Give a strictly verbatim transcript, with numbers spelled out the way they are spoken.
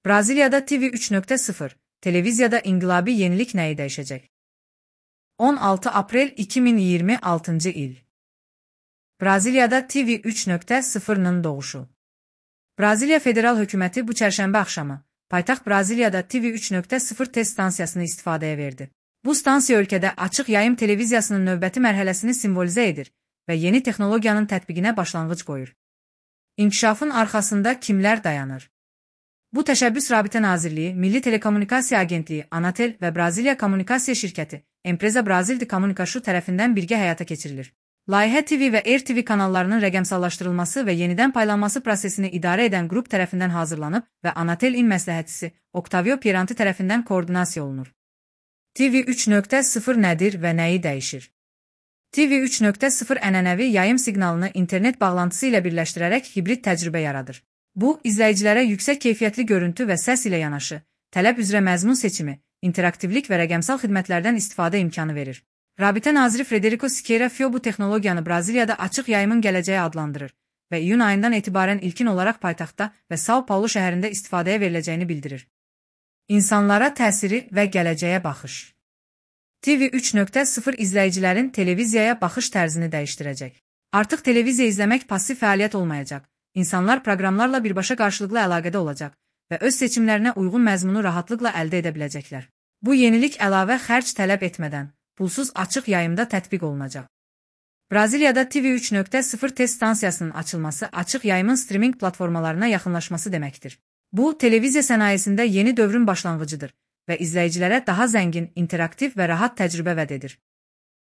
Braziliyada T V üç nöqtə sıfır, televiziyada inqilabi yenilik nəyi dəyişəcək? on altı aprel iki min iyirmi altıncı il. Braziliyada T V üç nöqtə sıfırın doğuşu. Braziliya Federal Hökuməti bu çərşənbə axşamı paytaxt Braziliyada T V üç nöqtə sıfır test stansiyasını istifadəyə verdi. Bu stansiya ölkədə açıq yayım televiziyasının növbəti mərhələsini simvolizə edir və yeni texnologiyanın tətbiqinə başlanğıc qoyur. İnkişafın arxasında kimlər dayanır? Bu təşəbbüs Rabitə Nazirliyi, Milli Telekommunikasiya Agentliyi, Anatel və Braziliya Kommunikasiya Şirkəti, Empresa Brasil de Comunicação tərəfindən birgə həyata keçirilir. Layihə T V və R T V kanallarının rəqəmsallaşdırılması və yenidən paylanması prosesini idarə edən qrup tərəfindən hazırlanıb və Anatel-in məsləhətçisi Octavio Pieranti tərəfindən koordinasiya olunur. T V üç nöqtə sıfır nədir və nəyi dəyişir? T V üç nöqtə sıfır ənənəvi yayım siqnalını internet bağlantısı ilə birləşdirərək hibrid təcrübə yaradır. Bu, izləyicilərə yüksək keyfiyyətli görüntü və səs ilə yanaşı, tələb üzrə məzmun seçimi, interaktivlik və rəqəmsal xidmətlərdən istifadə imkanı verir. Rabitə naziri Frederico Siqueira Filho bu texnologiyanı Braziliyada açıq yayımın gələcəyi adlandırır və iyun ayından etibarən ilkin olaraq paytaxtda və São Paulo şəhərində istifadəyə veriləcəyini bildirir. İnsanlara təsiri və gələcəyə baxış. T V üç nöqtə sıfır izləyicilərin televiziyaya baxış tərzini dəyişdirəcək. Artıq televiziya izləmək passiv fəaliyyət olmayacaq. İnsanlar proqramlarla birbaşa qarşılıqlı əlaqədə olacaq və öz seçimlərinə uyğun məzmunu rahatlıqla əldə edə biləcəklər. Bu yenilik əlavə xərc tələb etmədən, pulsuz açıq yayımda tətbiq olunacaq. Braziliyada T V üç nöqtə sıfır test stansiyasının açılması açıq yayımın streaming platformalarına yaxınlaşması deməkdir. Bu, televiziya sənayesində yeni dövrün başlanğıcıdır və izləyicilərə daha zəngin, interaktiv və rahat təcrübə vəd edir.